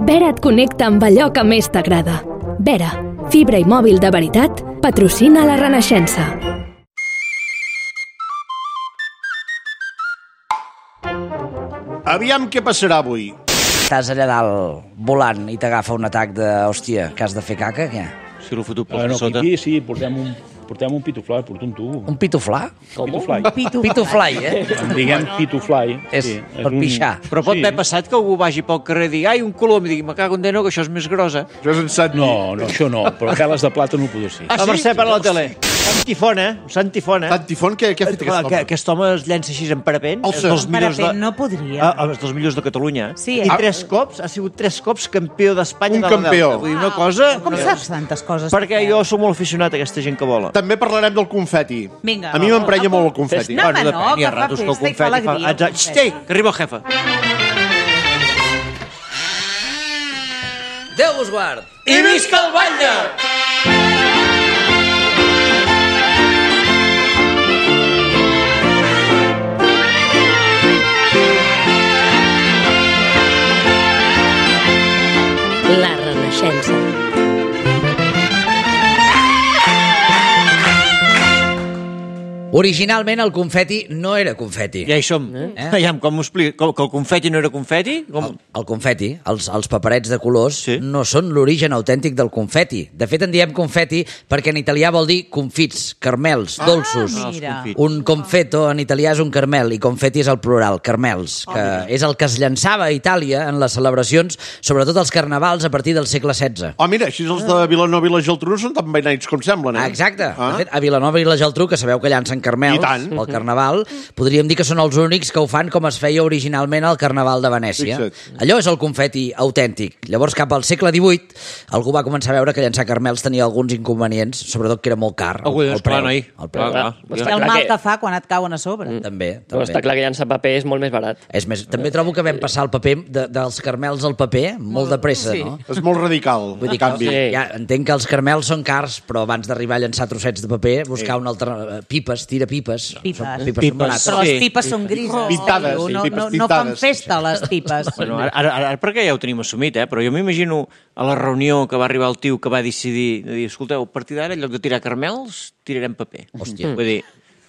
Vera et connecta amb allò que més t'agrada. Vera, fibra i mòbil de veritat, patrocina la Renaixença. Aviam què passarà avui. Estàs allà dalt volant i t'agafa un atac de... Hòstia, que has de fer caca, què? Si l'ho foto per sota. Pipí, sí, portem un pitufly, porto un tubo. Un pituflà? Pitufly. Pitufly, Diguem pitufly. És sí, per pixar. Però pot haver passat que algú vagi pel carrer i digui ai, un colom, i digui, me cago en Déu, que això és més grossa. Això és en Sant... No, això no, però cales de plata no ho poder ser. La Mercè per la tele. Sant Tifon, Sant Tifon. Sant Tifon, què ha fet aquest home? Aquest home es llença així en parapent. El parapent no podria. Els dels millors de Catalunya. Sí, I ha sigut 3 cops campió d'Espanya Un de la campió. Delta. Vull dir, una cosa... Com saps tantes coses? Perquè jo sóc molt aficionat a aquesta gent que vola. També parlarem del confeti. Vinga. A mi m'emprenya molt el confeti. No, home, no, depèn, hi ha que fa ratos que el festa i fa confeti alegria, el confeti. Xtei, que arriba el jefe. Déu vos guard! I visca el Batlle! La Renaixença. Originalment el confeti no era confeti. Ja hi som. Aviam, com m'ho explica? Que el confeti no era confeti? El confeti, els paperets de colors, Sí. no són l'origen autèntic del confeti. De fet, en diem confeti perquè en italià vol dir confits, caramels, dolços. Mira. Un confeto en italià és un carmel i confeti és el plural, carmels, que és el que es llançava a Itàlia en les celebracions, sobretot els carnavals a partir del segle XVI. Oh, mira, així els de Vilanova i la Geltrú no són tan veïnats com semblen, eh? Exacte. De fet, a Vilanova i la Geltrú, que sabeu que llancen carmels I tant. al Carnaval, podríem dir que són els únics que ho fan com es feia originalment al Carnaval de Venècia. Fixa't. Allò és el confeti autèntic. Llavors, cap al segle XVIII, algú va començar a veure que llançar carmels tenia alguns inconvenients, sobretot que era molt car. Algú dius, clar, noi. El preu. I el mal que fa quan et cauen a sobre. També. Però està clar que llançar paper és molt més barat. És més, també trobo que vam passar el paper dels carmels al paper molt de pressa, sí. no? És molt radical, Vull dir el canvi. Sí. Ja, entenc que els carmels són cars, però abans d'arribar a llançar trossets de paper, buscar una altra... Pipes, tira pipes. Pipes. Pipes són barates. Però les Sí. pipes són grises. Pintades, sí, no, pipes no fan pintades. festa, les pipes. Bueno, ara perquè ja ho tenim assumit, però jo m'imagino a la reunió que va arribar el tio que va decidir, de dir, escolteu, a partir d'ara, en lloc de tirar carmels, tirarem paper. Hòstia. Vull dir,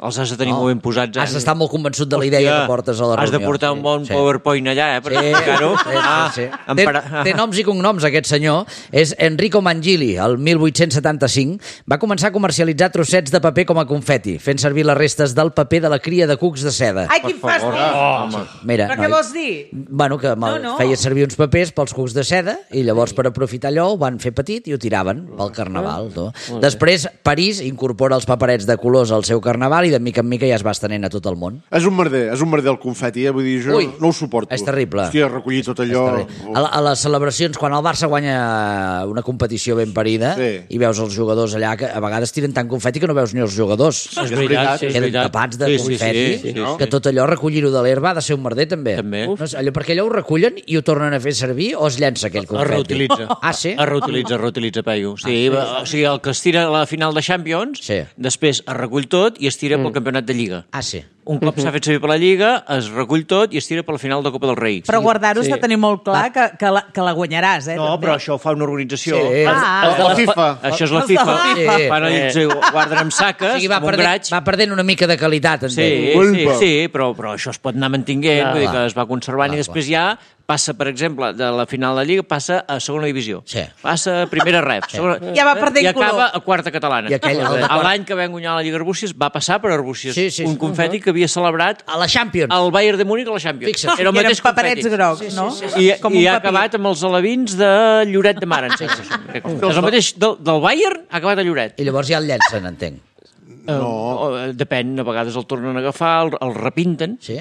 els has de tenir molt ben posats. Has d'estar molt convençut de la idea que portes a la reunió. Has de portar un bon PowerPoint allà, per explicar-ho. Sí. Té noms i cognoms, aquest senyor. És Enrico Mangili. El 1875 va començar a comercialitzar trossets de paper com a confeti, fent servir les restes del paper de la cria de cucs de seda. Ai, quin fàstic! Mira, Però què vols dir? Bueno, que No. feia servir uns papers pels cucs de seda i llavors per aprofitar allò ho van fer petit i ho tiraven pel carnaval. Després, París incorpora els paperets de colors al seu carnaval i de mica en mica ja es va estenent a tot el món. És un merder el confeti, Vull dir, jo Ui, no ho suporto. és terrible. Hòstia, recollir tot allò... A les celebracions, quan el Barça guanya una competició ben parida i veus els jugadors allà, que a vegades tiren tant confeti que no veus ni els jugadors. És veritat, sí, és Queden veritat. tapats de confeti, que tot allò, recollir-ho de l'herba ha de ser un merder, també. No, perquè allò ho recullen i ho tornen a fer servir o es llença aquell confeti? Es reutilitza. Ah, sí? Es reutilitza, Peyu. Sí, o sigui, el que es tira a la final de Champions, després es recull tot i es tira pel campionat de Lliga. Ah, sí. Un cop s'ha fet servir per la Lliga, es recull tot i es tira per la final de Copa del Rei. Però guardar-ho has de tenir molt clar que la guanyaràs, eh? No, però això ho fa una organització. La FIFA. Això és la FIFA. Fan allò, ho guarden amb saques, amb un graig. Va perdent una mica de qualitat, entenc. Sí, però això es pot anar mantinguent, vull dir que es va conservant i després ja passa, per exemple, de la final de la Lliga, passa a segona divisió. Passa a primera ref. Ja va perdent I acaba color. a quarta catalana. L'any que vam guanyar la Lliga Arbúcies va passar per Arbúcies. Un confeti que havia celebrat a la Champions. El Bayern de Múnich a la Champions. Era el mateix paperets grocs, no? I ha acabat amb els alevins de Lloret de Mar. És el mateix del Bayern, ha acabat a Lloret. I llavors ja el llencen, entenc. No. Depèn, a vegades el tornen a agafar, el repinten. Sí.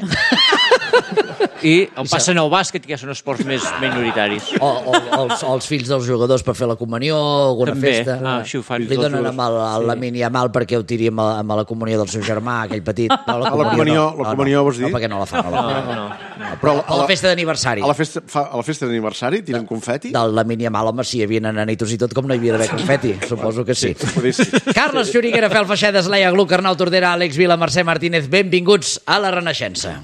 I el passen al bàsquet, que ja són esports més minoritaris. O els fills dels jugadors per fer la comunió, alguna festa. Així ho fan. Li donen amb la mini a mal perquè ho tiri amb la comunió del seu germà, aquell petit. No, la comunió vols dir? No, perquè no la fan. Però a la festa d'aniversari. A la festa d'aniversari tiren confeti? De la mini a mal, home, sí, hi havia nanitos i tot, com no hi havia d'haver confeti. Suposo que sí. Carles Xuriguera, Fel Feixedes, Laia Gluck, Arnau Tordera, Àlex Vila, Mercè Martínez, benvinguts a la Renaixença.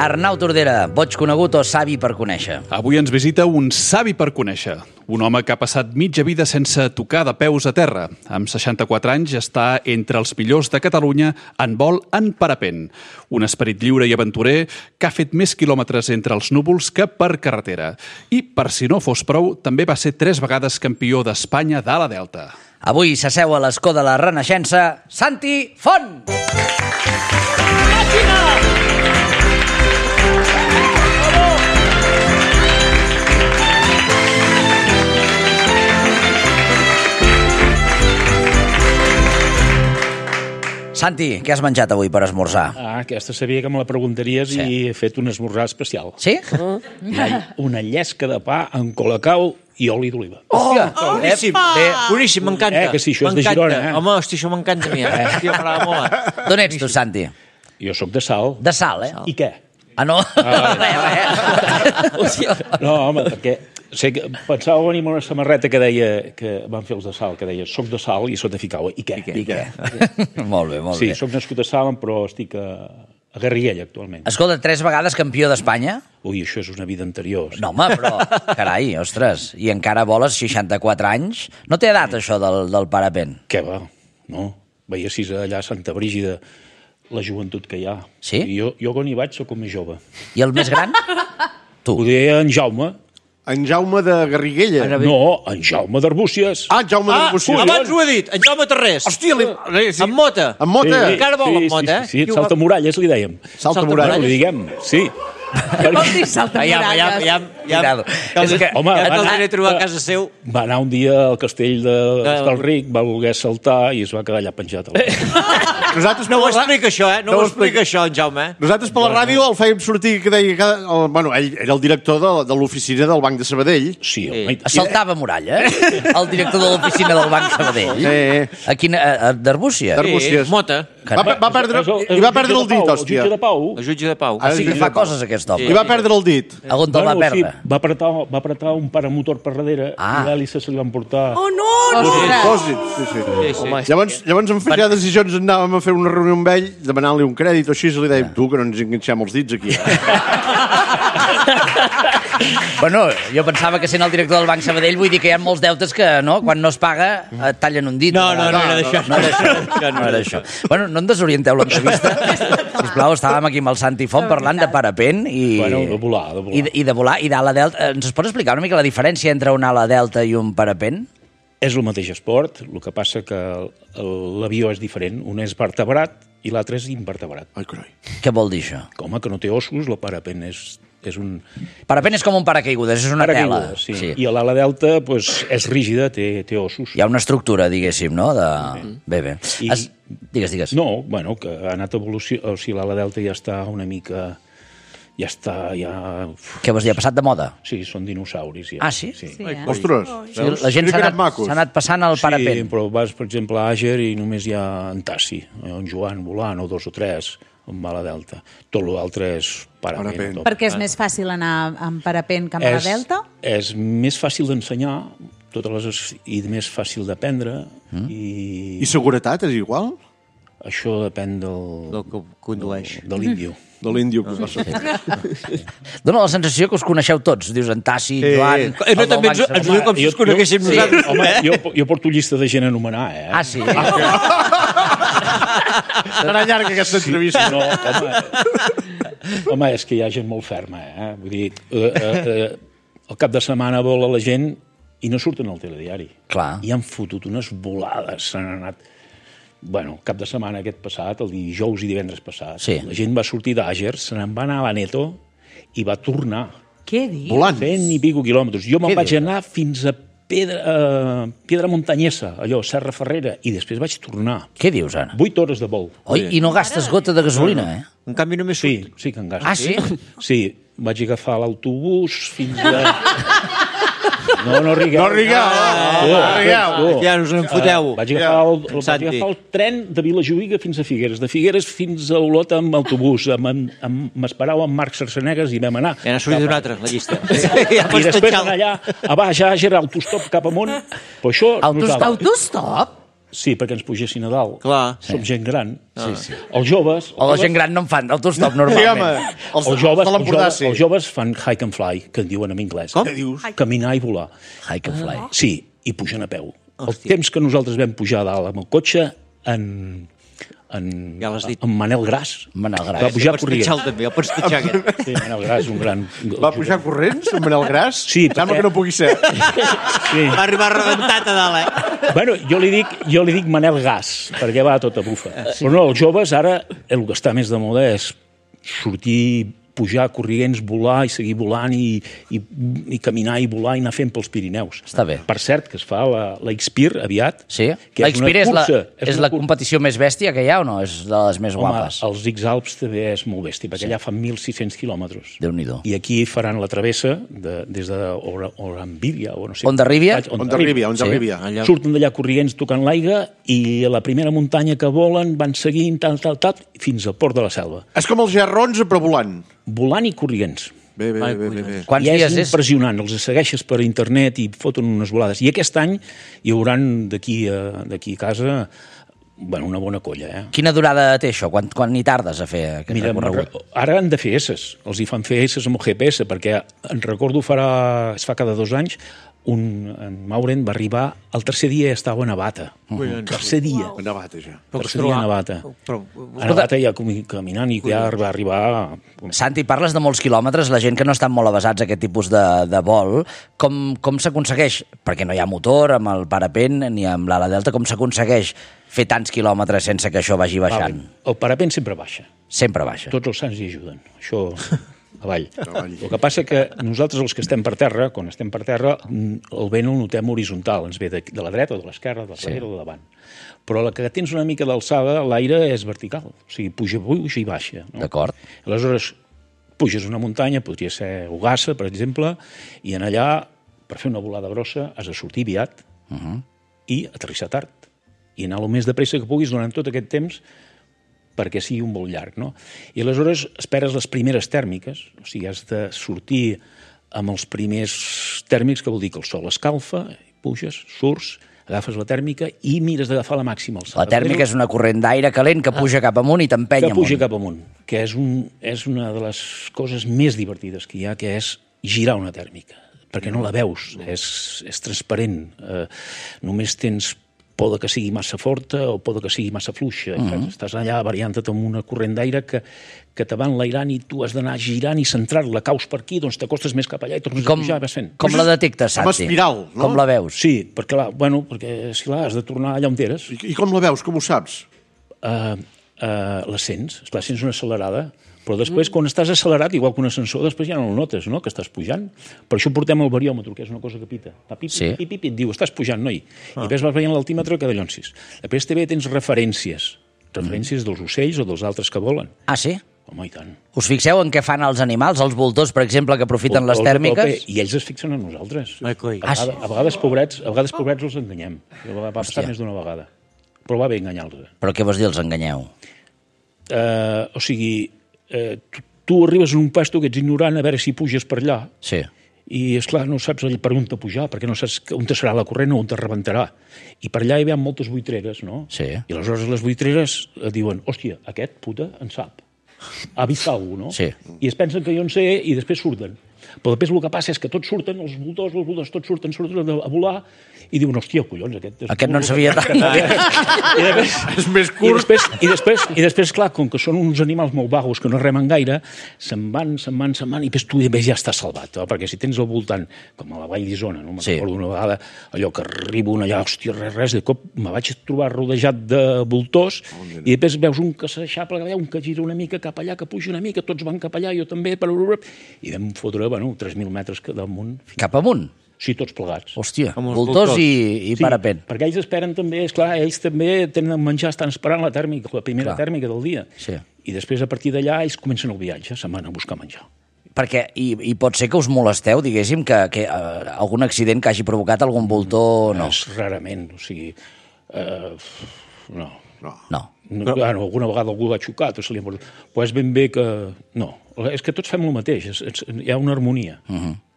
Arnau Tordera, boig conegut o savi per conèixer? Avui ens visita un savi per conèixer. Un home que ha passat mitja vida sense tocar de peus a terra. Amb 64 anys està entre els millors de Catalunya en vol en parapent. Un esperit lliure i aventurer que ha fet més quilòmetres entre els núvols que per carretera. I, per si no fos prou, també va ser 3 vegades campió d'Espanya d'ala delta. Avui s'asseu a l'escó de la Renaixença, Santi Font! Santi, què has menjat avui per esmorzar? Aquesta sabia que me la preguntaries i he fet un esmorzar especial. Sí? Una llesca de pa amb colacao i oli d'oliva. Hòstia! Boníssim, boníssim, m'encanta. Que sí, això és de Girona, Home, hosti, això m'encanta a mi. Hòstia, m'agrada molt. D'on ets tu, Santi? Jo sóc de Salt. De Salt, I què? Ah, no? No, home, perquè pensava venir amb una samarreta que deia, que van fer els de Salt, que deia soc de Salt i sota ficava. I què? Molt bé, molt bé. Sí, soc nascut a Salt, però estic a Garriguella actualment. Escolta, 3 vegades campió d'Espanya? Ui, això és una vida anterior. No, home, però, carai, ostres, i encara voles 64 anys? No té edat, això del parapent? Què va? No. Veiessis allà a Santa Brígida la joventut que hi ha. Sí? I jo quan hi vaig soc el més jove. I el més gran? Tu. Ho deia en Jaume. En Jaume de Garriguella. No, en Jaume d'Arbúcies. Ah, Jaume d'Arbúcies. Abans ho he dit, en Jaume Terrés. Hòstia, sí. Amb mota. Amb mota? Sí, Encara vol amb mota, Sí, saltamuralles li dèiem. Saltamuralles. Li diguem, sí. Vol dir saltamuralles. És que, home, ja te'l diré trobar a casa seu. Va anar un dia al castell d'Hostalric, va voler saltar i es va quedar allà penjat. No ho explica això, No ho explica això, en Jaume. Nosaltres per la ràdio el fèiem sortir que deia... Bueno, ell era el director de l'oficina del Banc de Sabadell. Sí, home. saltava muralla, el director de l'oficina del Banc Sabadell. Sí. D'Arbúcies? D'Arbúcies. Mota. Va perdre el dit, hòstia. El jutge de Pau. El jutge de Pau. Sí que fa coses, aquest home. I va perdre el dit. On te'l va perdre? Va apretar un paramotor per darrere i l'hèlice se li van portar... Oh, no! Llavors en feia decisions, anàvem a fer una reunió amb ell, demanant-li un crèdit o així, i li dèiem, tu, que no ens enganxem els dits aquí. Bueno, jo pensava que sent el director del Banc Sabadell vull dir que hi ha molts deutes que, no, quan no es paga, et tallen un dit. No era d'això. No era això. Bueno, no en desorienteu l'entrevista. Sisplau, estàvem aquí amb el Santi Font parlant de parapent i... Bueno, de volar. I de volar, i d'ala delta. Ens pots explicar una mica la diferència entre una ala delta i un parapent? És el mateix esport, el que passa que l'avió és diferent. Un és vertebrat i l'altre és invertebrat. Ai, carai. Què vol dir això? Com que no té ossos, el parapent és un... Parapent és com un paracaigudes, és una tela. Sí. I l'ala delta és rígida, té ossos. Hi ha una estructura, diguéssim, no? Bé. Digues. No, bueno, que ha anat evolució... O sigui, l'ala delta ja està una mica... Ja està, Què vols dir, ha passat de moda? Sí, són dinosauris. Ja. Ah, sí? Ostres, la gent s'ha anat passant al parapent. Sí, però vas, per exemple, a Àger i només hi ha en Tassi, en Joan volant, o 2 o 3, amb ala delta. Tot l'altre és parapent. Perquè és més fàcil anar amb parapent que amb ala delta? És més fàcil d'ensenyar, i més fàcil d'aprendre. I seguretat és igual? Això depèn del que condueix. De l'índio. De l'índio que passa. Dóna la sensació que us coneixeu tots. Dius en Tassi, Joan... No, també ens diu com si us coneguéssim nosaltres. Home, jo porto llista de gent a anomenar, Ah, sí? Serà llarga aquesta entrevista. No, home, és que hi ha gent molt ferma, Vull dir, el cap de setmana vola la gent i no surten al telediari. Clar. I han fotut unes volades, s'han anat... Bueno, cap de setmana aquest passat, el dijous i divendres passat, la gent va sortir d'Àger, se n'en va anar a l'Aneto i va tornar. Què dius? Volant. 100 i pico quilòmetres. Jo me'n vaig anar fins a Piedra Montanyesa, allò, Serra Ferrera, i després vaig tornar. Què dius, ara? 8 hores de vol. Oi, i no gastes gota de gasolina, En canvi només surt. Sí que en gasto. Ah, sí? Sí, vaig agafar l'autobús fins a... No rigueu. Ja us en foteu. Vaig agafar el tren de Vilajuïga fins a Figueres, de Figueres fins a Olot amb autobús. M'esperava amb Marc Sarsenegas i vam anar. Ja n'ha sortit un altre, la llista. I després anar allà, a baix, a Àger, autostop cap amunt. Però això... Autostop? Sí, perquè ens pugessin a dalt. Clar. Som gent gran. Sí. Els joves... O la gent gran no en fan autostop normalment. Els joves fan hike and fly, que en diuen en anglès. Com? Què dius? Caminar i volar. Hike and fly. Sí, i pugen a peu. El temps que nosaltres vam pujar a dalt amb el cotxe, Ja l'has dit. en Manel Gras. Manel Gras. Va pujar Pots corrents. pitjar també, el pots pitjar aquest. Sí, Manel Gras, un gran... Va pujar corrents, en Manel Gras? Sí, Sembla perquè- que no pugui ser. Sí. Va arribar rebentat a dalt, Bueno, jo li dic Manel Gas, perquè va a tota bufa. Però no, els joves ara, el que està més de moda és sortir, pujar corrients, volar i seguir volant i caminar i volar i anar fent pels Pirineus. Està bé. Per cert, que es fa la Xpir aviat. Sí? que La Xpir és una la competició més bèstia que hi ha o no? És de les més Home, guapes? els X-Alps també és molt bèstia, perquè allà fan 1.600 quilòmetres. Déu-n'hi-do. I aquí faran la travessa des d'Orambília, o no sé. Ondarribia? Ondarribia. Allà. Surten d'allà corrients tocant l'aigua i a la primera muntanya que volen van seguint, tal, fins al port de la Selva. És com els gerrons, però volant. Volant i corrients. Bé. Quants I dies és és? impressionant, els segueixes per internet i foten unes volades. I aquest any hi haurà d'aquí a casa una bona colla. Quina durada té això? Quan hi tardes a fer aquest recorregut? Ara han de fer esses, els hi fan fer esses amb el GPS, perquè en recordo es fa cada 2 anys, en Mauren va arribar, el tercer dia ja estava a Navata. Tercer dia. A Navata, ja. Tercer dia a Navata. A Navata ja caminant i ja va arribar... Santi, parles de molts quilòmetres, la gent que no estan molt avasats a aquest tipus de vol, com s'aconsegueix? Perquè no hi ha motor amb el parapent ni amb l'ala delta, com s'aconsegueix fer tants quilòmetres sense que això vagi baixant? El parapent sempre baixa. Sempre baixa. Tots els sants hi ajuden. Això... avall. El que passa que nosaltres, els que estem per terra, quan estem per terra, el vent el notem horitzontal, ens ve de la dreta o de l'esquerra, de darrere o de davant. Però la que tens una mica d'alçada, l'aire és vertical, o sigui, puja i baixa. No? D'acord. Aleshores, puges una muntanya, podria ser Ugassa, per exemple, i en allà, per fer una volada grossa, has de sortir aviat i aterrissar tard. I anar el més de pressa que puguis durant tot aquest temps perquè sigui un vol llarg, no? I aleshores esperes les primeres tèrmiques, o sigui, has de sortir amb els primers tèrmics, que vol dir que el sol escalfa, puges, surts, agafes la tèrmica i mires d'agafar la màxima alçada. La tèrmica és una corrent d'aire calent que puja cap amunt i t'empeny amunt. Que puja cap amunt, que és una de les coses més divertides que hi ha, que és girar una tèrmica, perquè no la veus, és transparent. Només tens por que sigui massa forta o por que sigui massa fluixa. Estàs allà variant-te amb una corrent d'aire que te va enlairant i tu has d'anar girant i centrar-la. Caus per aquí, doncs t'acostes més cap allà i tornes a pujar i vas fent. Com la detectes, Santi? Amb espiral, no? Com la veus? Sí, perquè has de tornar allà on eres. I com la veus? Com ho saps? La sents una accelerada, però després, quan estàs accelerat, igual que un ascensor, després ja no el notes, no?, que estàs pujant. Per això portem el bariòmetre, que és una cosa que pita. Pip, et diu, estàs pujant, noi. I després vas veient l'altímetre que dallonsis. Després també tens referències dels ocells o dels altres que volen. Ah, sí? Home, i tant. Us fixeu en què fan els animals, els voltors, per exemple, que aprofiten les tèrmiques? I ells es fixen en nosaltres. Ah, sí? A vegades, pobrets, els enganyem. Va passar més d'una vegada. Però va bé enganyar-los. Però què vols dir, els enganyeu? O sigui, tu arribes en un pasto que ets ignorant a veure si puges per allà. Sí. I, esclar, no saps per on te pujar, perquè no saps on te serà la corrent o on te rebentarà. I per allà hi ha moltes buitreres, no? Sí. I aleshores les buitreres diuen, hòstia, aquest puta en sap. Ha vist alguna cosa, no? Sí. I es pensen que jo en sé i després surten. Però després el que passa és que tots surten, els voltors tots surten a volar i diuen, hòstia, collons, aquest no en sabia tant. És més curt. I després, clar, com que són uns animals molt vagos que no remen gaire, se'n van, i després tu ja estàs salvat, perquè si tens al voltant, com a la Vall d'Isona, no? Me'n recordo una vegada, allò que arribo allà, hòstia, res, de cop me vaig trobar rodejat de voltors i després veus un que s'aixapla, un que gira una mica cap allà, que puja una mica, tots van cap allà, jo també, i vam fotre, 3.000 metres damunt. Cap amunt? Sí, tots plegats. Hòstia, voltors i parapent. Perquè ells esperen també, esclar, ells també tenen menjar, estan esperant la tèrmica, la primera tèrmica del dia. Sí. I després, a partir d'allà, ells comencen el viatge, se'n van a buscar menjar. Perquè, i pot ser que us molesteu, diguéssim, que algun accident que hagi provocat algun voltor, no? És rarament, o sigui... No. No. Alguna vegada algú va xocar, tot se li ha mort. Però és ben bé que... No, és que tots fem el mateix, hi ha una harmonia.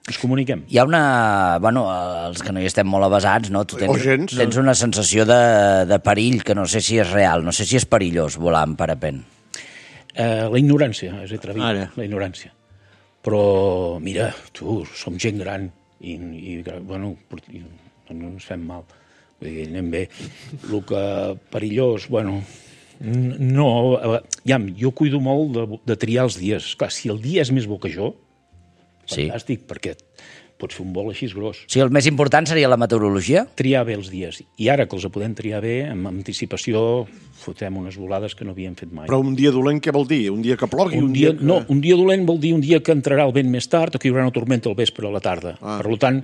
ens comuniquem. Hi ha una... Bueno, els que no hi estem molt avasats, no? Tu tens una sensació de perill que no sé si és real, no sé si és perillós volar en parapent. La ignorància, és atrevit, la ignorància. Però, mira, som gent gran i bueno, no ens fem mal. Vull dir, anem bé. El que perillós, bueno... No, jo cuido molt de triar els dies. Clar, si el dia és més bo que jo, fantàstic, perquè pots fer un vol així gros. Sí, el més important seria la meteorologia? Triar bé els dies. I ara que els podem triar bé, amb anticipació, fotem unes volades que no havíem fet mai. Però un dia dolent què vol dir? Un dia que plogui? Un dia dolent vol dir un dia que entrarà el vent més tard o que hi haurà una tormenta al vespre a la tarda. Per tant,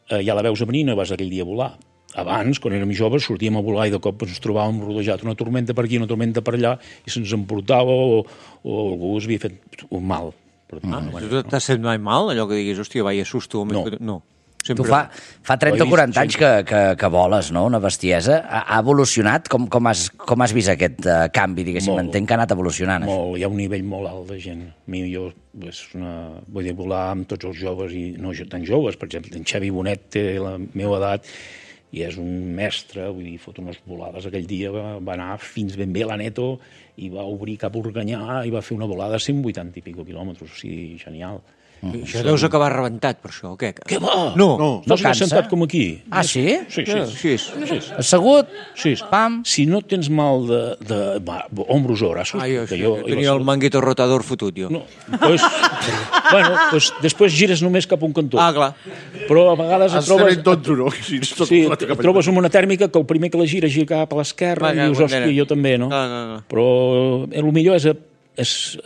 ja la veus a venir, no vas aquell dia a volar. Abans, quan érem joves, sortíem a volar i de cop ens trobàvem rodejat una tormenta per aquí, una tormenta per allà, i se'ns emportava o algú es havia fet un mal. Tu t'has fet mai mal, allò que diguis, hòstia, vaya susto? No. Tu fa 30 o 40 anys que voles, no? Una bestiesa. Ha evolucionat? Com has vist aquest canvi, diguéssim? Entenc que ha anat evolucionant. Molt, hi ha un nivell molt alt de gent. Vull dir, volar amb tots els joves i no tan joves. Per exemple, en Xavi Bonet té la meva edat i és un mestre, vull dir, fot unes volades. Aquell dia va anar fins ben bé a la Neto i va obrir cap a Organyà i va fer una volada a 180 i pico quilòmetres, o sigui, genial. Això deus acabar rebentat, per això, o què? Què va? No s'ha sentat com aquí. Ah, sí? Sí. Assegut? Sí. Pam. Si no tens mal de hombros o braços... Jo tenia el manguito rotador fotut, jo. No, doncs després gires només cap a un cantó. Ah, clar. Però a vegades et trobes... Sí, et trobes amb una tèrmica que el primer que la gira cap a l'esquerra i dius, hòstia, jo també, no? Però el millor és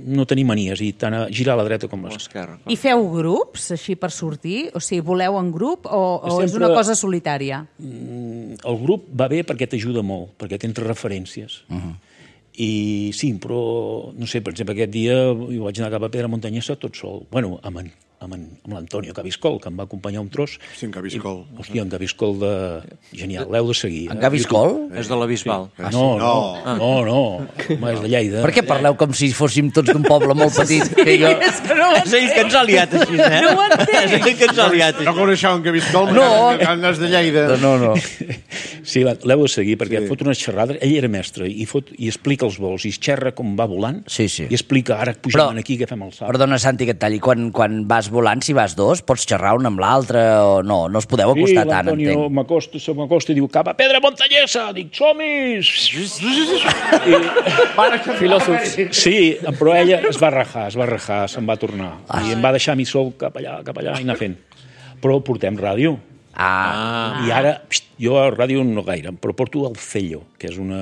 no tenir manies i tant a girar a la dreta com a l'esquerra. I feu grups, així, per sortir? O sigui, voleu en grup o és una cosa solitària? El grup va bé perquè t'ajuda molt, perquè tens referències. I sí, però, no sé, per exemple, aquest dia jo vaig anar cap a Pedra Montanyesa tot sol. Bueno, amb l'Antonio Cabiscol, que em va acompanyar un tros. Sí, en Cabiscol. Hòstia, en Cabiscol genial, l'heu de seguir. En Cabiscol? És de la Bisbal. No, és de Lleida. Per què parleu com si fóssim tots d'un poble molt petit? És ell que ens ha liat així, No ho entenc. És ell que ens ha liat així. No coneixeu en Cabiscol? No. És de Lleida. No. Sí, l'heu de seguir, perquè fot unes xerrades. Ell era mestre i explica els vols, i es xerra com va volant, i explica, ara pujant aquí, que fem el salt. Perdona, Santi, que et talli. Quan vas volant, si vas dos, pots xerrar un amb l'altre o no? No us podeu acostar tant, entenc. Sí, l'Antonio m'acosta i diu, cap a Pedra Montanyesa! Dic, som-hi! Filòsof. Sí, però ella es va rajar, se'n va tornar. I em va deixar a mi sol cap allà i anar fent. Però portem ràdio. I ara, jo a ràdio no gaire, però porto el Cello, que és un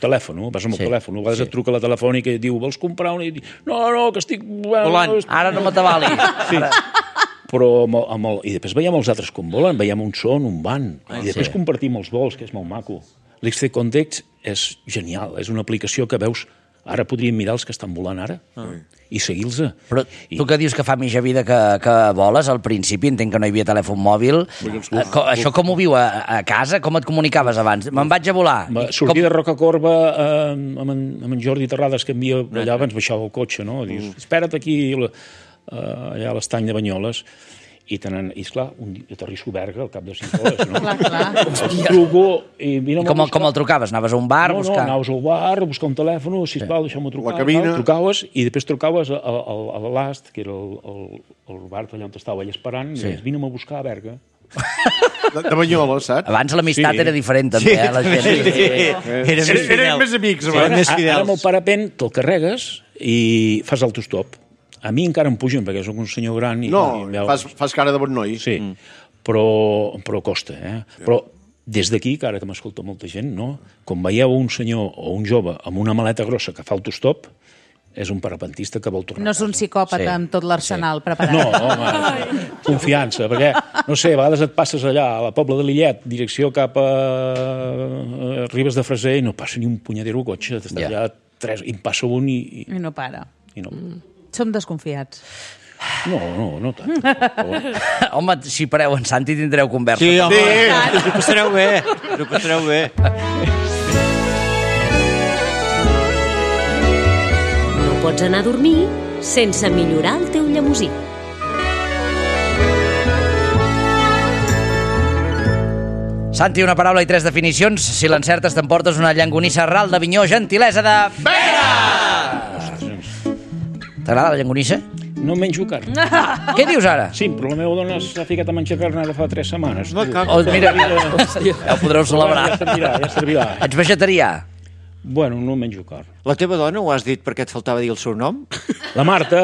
telèfon, vas amb el telèfon, a vegades et truca la telefònica i et diu, vols comprar una? I dic, no, que estic... Volant, ara no m'atabali. Sí, però i després veiem els altres com volen, veiem un son, un van, i després compartim els vols, que és molt maco. L'XC Context és genial, és una aplicació que veus, ara podríem mirar els que estan volant ara i seguir-los. Però tu que dius que fa mitja vida que voles, al principi entenc que no hi havia telèfon mòbil. Això com ho viu a casa? Com et comunicaves abans? Me'n vaig a volar. Sortir de Rocacorba amb en Jordi Terrades, que envia allà, ens baixava el cotxe, no? Dius, espera't aquí, allà a l'estany de Banyoles. I esclar, aterrisso a Berga al cap de 5 hores, no? Clar. Truco i vine a buscar. Com el trucaves? Anaves a un bar a buscar? No, anaves al bar a buscar un telèfon, sisplau, deixa'm-ho trucar. La cabina. Trucaves i després trucaves a l'Ast, que era el bar allà on estava ell esperant, i deies, vine-me a buscar a Berga. De Banyoles, saps? Abans l'amistat era diferent, també, la gent. Eren més amics, abans. Ara amb el parapent te'l carregues i fas autostop. A mi encara em pugen, perquè soc un senyor gran. Fas cara de bon noi. Sí, però costa, Però des d'aquí, que ara que m'escolta molta gent, no? Quan veieu un senyor o un jove amb una maleta grossa que fa autostop, és un parapentista que vol tornar. No és un psicòpata amb tot l'arsenal preparat. No, home, confiança, perquè, no sé, a vegades et passes allà a la Pobla de Lillet, direcció cap a Ribes de Freser, i no passa ni un punyadero cotxe, t'estàs allà i em passa un i... I no para. I no. Som desconfiats. No tant. Home, si pareu en Santi tindreu conversa. Sí, home, ho passareu bé. No pots anar a dormir sense millorar el teu llemosí. Santi, una paraula i 3 definicions. Si l'encertes t'emportes una llangonissa ral d'Avinyó, gentilesa de... Vera! T'agrada la llangonissa? No menjo carn. Què dius ara? Sí, però la meva dona s'ha ficat a menjar carn ara fa 3 setmanes. Oh, mira, ja ho podreu celebrar. Ja servirà. Ets vegetarià? Bueno, no menjo carn. La teva dona ho has dit perquè et faltava dir el seu nom? La Marta.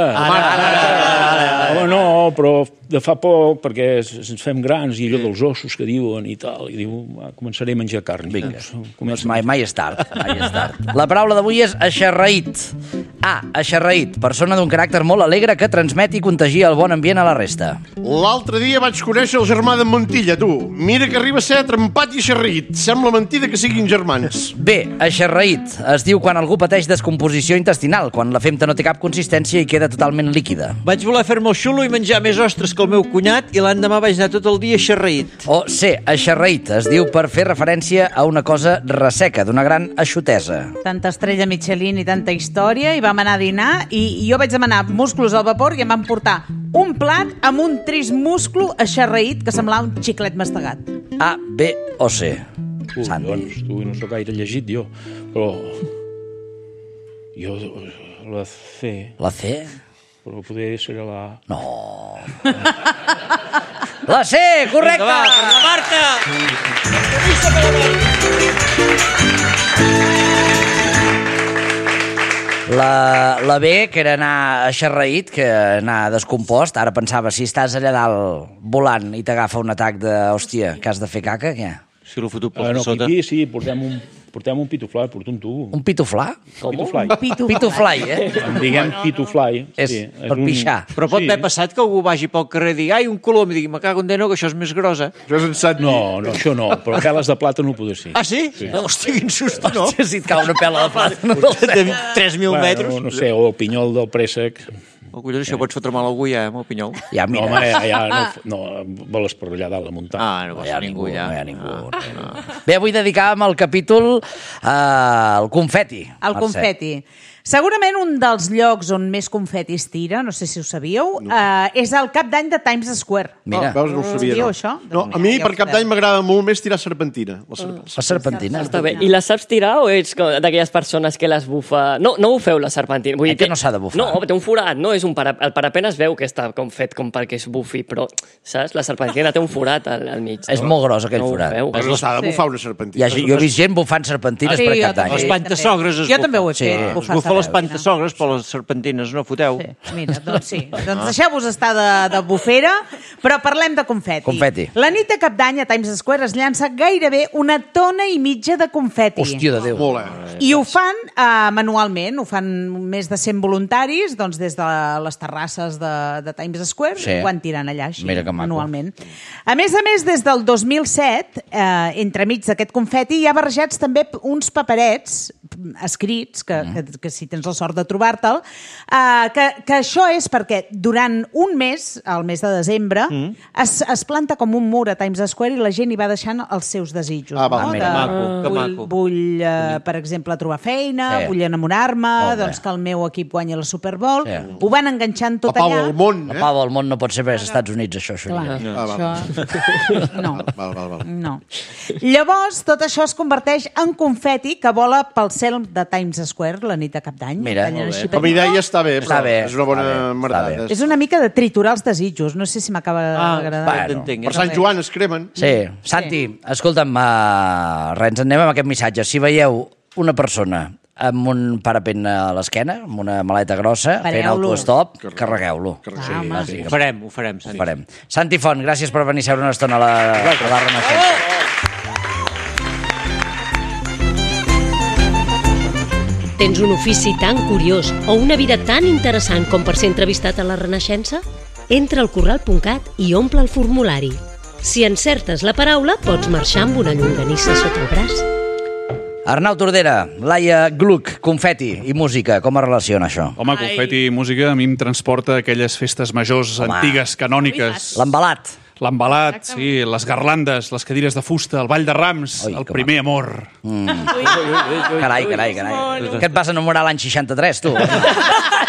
Home, no, però de fa poc, perquè ens fem grans i allò dels ossos que diuen i tal, i diu, començaré a menjar carn. Vinga, doncs mai és tard. La paraula d'avui és eixarraït. Eixarraït, persona d'un caràcter molt alegre que transmet i contagia el bon ambient a la resta. L'altre dia vaig conèixer el germà d'en Montilla, tu. Mira que arriba a ser trempat i eixarraït. Sembla mentida que siguin germans. Bé, eixarraït es diu quan algú pateix descomposició intestinal, quan la femta no té cap consistència i queda totalment líquida. Vaig voler fer-me el xulo i menjar més ostres que el meu cunyat i l'endemà vaig anar tot el dia eixarraït. O ser eixarraït es diu per fer referència a una cosa resseca, d'una gran eixutesa. Tanta estrella Michelin i tanta història, i vam anar a dinar i jo vaig demanar musclos al vapor i em van portar un plat amb un trist musclo eixarraït que semblava un xiclet mastegat. A, B o C. Santi. Doncs tu no sóc gaire llegit jo, però jo la C, La C? però poder ser la... No. La C, correcte! Va, per la Marta! La B, que era anar eixarraït, que anar descompost. Ara pensava, si estàs allà dalt volant i t'agafa un atac de, hòstia, que has de fer caca, què? Si l'ho fotut per no, sota. aquí sí, portem un pitufly, porto un tubo. Un pituflà? Pitufly. Pitufly, En diguem pitufly. És per pixar. Però pot haver passat que algú vagi pel carrer i digui ai, un colom, i digui, me cago en Déu, que això és més grossa. Això és en Santi. No, això no, però peles de plata no ho poder ser. Ah, sí? Hòstia, quin susto, no? Si et cau una pela de plata, no De 3.000 metres. No sé, o el pinyol del préssec. Oh, collons, això pots fotre mal a algú ja, amb el pinyol. Ja, No, mira. home, ja no, voles per allà dalt la muntanya. Ah, no No passa hi ha ningú ningú, ja. no hi ha ningú. Bé, avui dedicàvem el capítol al confeti. El confeti. Segurament un dels llocs on més confeti es tira, no sé si ho sabíeu, és el cap d'any de Times Square. Mira, Veus, no ho sabia. Sabíeu No, això? no a mi Ja ho per cap sabeu. d'any m'agrada molt més tirar serpentina. la serpentina. Està bé. I la saps tirar o ets d'aquelles persones que les bufa... No bufeu la serpentina. Vull dir, Que no s'ha de bufar. No, té un forat, no? És un el parapent es veu que està com fet com perquè es bufi, però, saps? La serpentina té un forat al mig. És molt gros, aquell No ho forat. feu. Però s'ha de bufar una serpentina. Jo he vist gent bufant serpentines Sí, per jo cap d'any. també. Les pantasogres es Jo també ho he Sí. fet. Es bufar bufa les serpentina. pantasogres, però les serpentines no foteu. Sí, mira, doncs sí. Doncs deixeu-vos estar de bufera, però parlem de confeti. Confeti. La nit de cap d'any a Times Square es llança gairebé 1,5 tones de confeti. Hòstia de Déu. Molt, eh? I ho fan manualment, ho fan més de 100 voluntaris, doncs des de les terrasses de Times Square, Sí. ho van tirant allà així, Mira que maco. manualment. A més, des del 2007, entremig d'aquest confeti, hi ha barrejats també uns paperets escrits, que si tens la sort de trobar-te'l, que això és perquè durant un mes, el mes de desembre, es planta com un mur a Times Square i la gent hi va deixant els seus desitjos. Ah, va, no? mira. Que maco. Vull per exemple, trobar feina, Sí. vull enamorar-me, Molt bé. doncs que el meu equip guanyi la Super Bowl. Sí. Ho van enganxant tot La pau allà. al món, La eh? pau del món no pot ser perquè és Estats Units, això. Clar, va. això... No. Val. No. Llavors, tot això es converteix en confeti que vola pel cel de Times Square la nit de cap d'any. Mira, Tallen molt així Com a idea està bé, Està però bé, és una bona està bé, merdada. està bé. És una mica de triturar els desitjos. No sé si m'acaba d'agradar. bueno. t'entenc. Per Sant Joan es cremen. Sí. Santi, escolta'm, res, ens anem amb aquest missatge. Si veieu una persona amb un parapent a l'esquena, amb una maleta grossa, fent Pareu-lo. autostop, carregueu-lo. Ho farem, Santi. Farem. Santi Font, gràcies per venir a seure una estona a la Renaixença. Tens un ofici tan curiós o una vida tan interessant com per ser entrevistat a la Renaixença? Entra al corral.cat i omple el formulari. Si encertes la paraula, pots marxar amb una llonganissa sota el braç. Arnau Tordera, Laia Gluck, confeti i música, com es relaciona això? Home, confeti i música a mi em transporta a aquelles festes majors antigues, canòniques. L'embalat. L'embalat, sí, les garlandes, les cadires de fusta, el ball de rams, Ui, el que primer amor. Carai. Que et vas enamorar l'any 63, tu?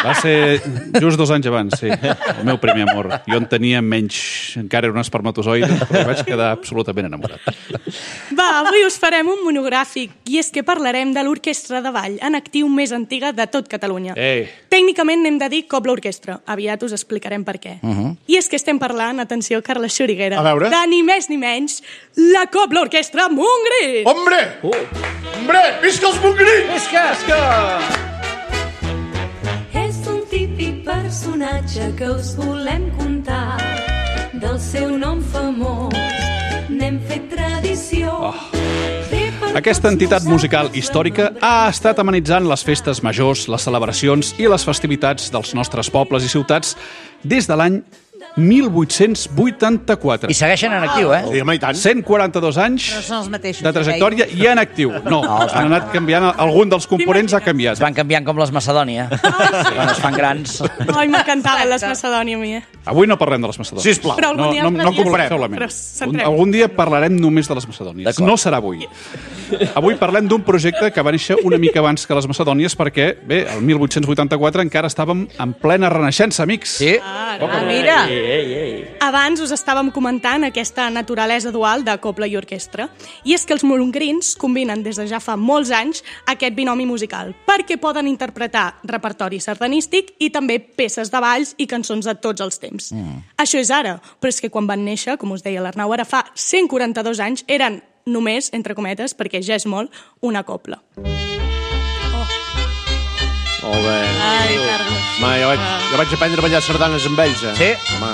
Va ser just 2 anys abans, sí. El meu primer amor. Jo en tenia menys, encara era un espermatozoide, però vaig quedar absolutament enamorat. Va, avui us farem un monogràfic, i és que parlarem de l'orquestra de ball en actiu més antiga de tot Catalunya. Tècnicament n'hem de dir Cobla Orquestra. Aviat us explicarem per què. I és que estem parlant, atenció, Carles Xuriguera, de ni més ni menys, la Cobla Orquestra Montgrins! Hombre! Hombre! Visca els Montgrins! Visca! És un típic personatge que us volem contar, del seu nom famós n'hem fet tradició. Aquesta entitat musical històrica ha estat amenitzant les festes majors, les celebracions i les festivitats dels nostres pobles i ciutats des de l'any 1884. I segueixen en actiu, eh? Sí, home, i tant. 142 anys No són els mateixos. de trajectòria i en actiu. No, han anat canviant, algun dels components ha canviat. Es van canviant com les Macedònia. Quan es fan grans. Ai, m'encantaven les Macedònia, a mi. Avui no parlem de les Macedònies. Sisplau. Però algun dia no parlarem. solament. Però centrem. Algun dia parlarem només de les Macedònies. No serà avui. Avui parlem d'un projecte que va néixer una mica abans que les Macedònies perquè, bé, el 1884 encara estàvem en plena renaixença, amics. Sí. Mira. Abans us estàvem comentant aquesta naturalesa dual de cobla i orquestra. I és que els montgrins combinen des de ja fa molts anys aquest binomi musical, perquè poden interpretar repertori sardanístic i també peces de balls i cançons de tots els temps. Això és ara, però és que quan van néixer, com us deia l'Arnau, ara fa 142 anys, eren només, entre cometes, perquè ja és molt, una cobla. Molt bé. Ai, Carles. Home, jo vaig aprendre a ballar sardanes amb ells, eh? Sí? Home,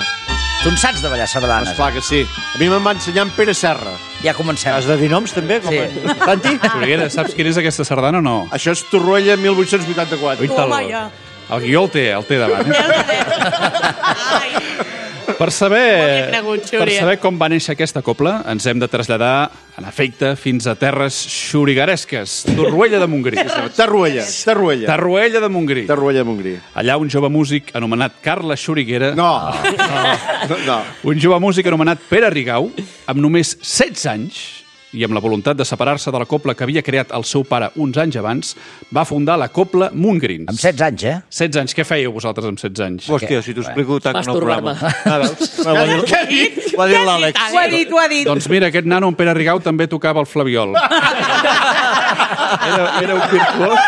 Tu en saps de ballar sardanes? esclar que sí. A mi me'n va ensenyar en Pere Serra. Ja comencem. Has de dir noms, també? Com Sí. Santi? Xuriguera, saps quina és aquesta sardana o no? Això és Torroella 1884. Toma, ja. El guió el té davant. Ai, Per saber, cregut, Xuri. per saber com va néixer aquesta cobla, ens hem de traslladar, en efecte, fins a terres xurigueresques. Torroella de Montgrí. Tarruella. Torroella de Montgrí. Tarruella de Montgrí. Allà un jove músic anomenat Carles Xuriguera, No. un jove músic anomenat Pere Rigau, amb només 16 anys, i amb la voluntat de separar-se de la cobla que havia creat el seu pare uns anys abans, va fundar la cobla Montgrins. Amb 16 anys, eh? 16 anys. Què fèieu vosaltres amb 16 anys? Hòstia, si t'ho explico tant en el programa. Masturbar-me. Què ha dit? Ho ha dit l'Àlex. Ho ha dit. Doncs mira, aquest nano, en Pere Rigau, també tocava el flabiol. Era un virtuós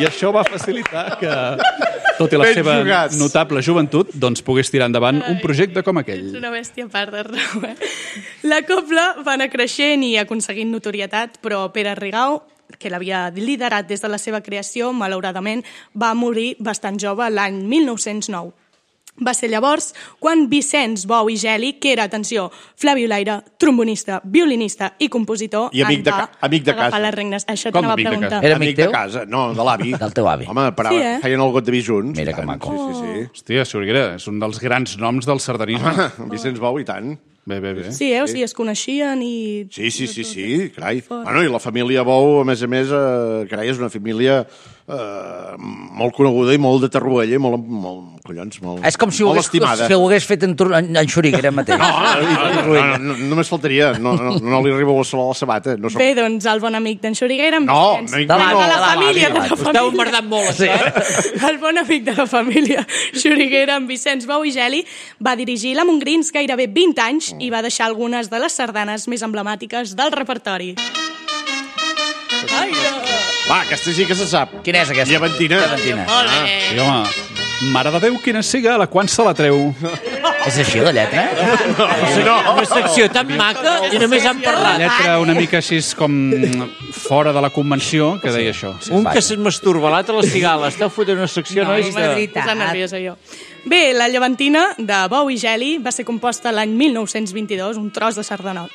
i això va facilitar que, tot i la Ben seva jugats. notable joventut, doncs pogués tirar endavant un projecte com ets aquell. una bèstia a part d'Arnau, eh? La cobla va anar creixent i aconseguint notorietat, però Pere Rigau, que l'havia liderat des de la seva creació, malauradament va morir bastant jove l'any 1909. Va ser llavors quan Vicenç Bou i Geli, que era, atenció, flabiolaire, trombonista, violinista i compositor, I amic de agafar casa. les regnes. Això Com t'anava a amic de preguntar. casa? Era amic de teu? casa. No, de l'avi. Del teu avi. Home, parava, Sí, eh? feien el got de vi junts. Mira i que tant. maco. Sí. Hòstia, Xuriguera, és un dels grans noms del sardanisme. Vicenç Bou, i tant. Bé. Sí, o sigui, es coneixien i... Sí, carai. Bueno, i la família Bou, a més, carai, és una família molt coneguda i molt de Tarruella, i molt collons, molt És com si ho molt hagués, estimada. si ho hagués fet en Xuriguera mateix. No, només faltaria. No li arriba a la sabata. No soc... Bé, doncs el bon amic d'en Xuriguera, en No, Vicenç. amic de no. la família, de la Esteu família. emmerdant molt, això, eh? El bon amic de la família Xuriguera, en Vicenç Bou i Geli, va dirigir la Montgrins gairebé 20 anys i va deixar algunes de les sardanes més emblemàtiques del repertori. Ai, no. Va, aquesta sí que se sap. Quina és aquesta? Llevantina. Llevantina. Sí, home, mare de Déu, quina siga, la quan se la treu. És així, la lletra? Una secció tan maca i només han La parlat. lletra una mica així com fora de la convenció, que deia això. Un que se'n masturba, l'altre la cigala. Esteu fotent una secció, nois, és de... veritat. Posant nerviosa jo. Bé, la llevantina de Bou i Geli va ser composta l'any 1922, un tros de sardanot.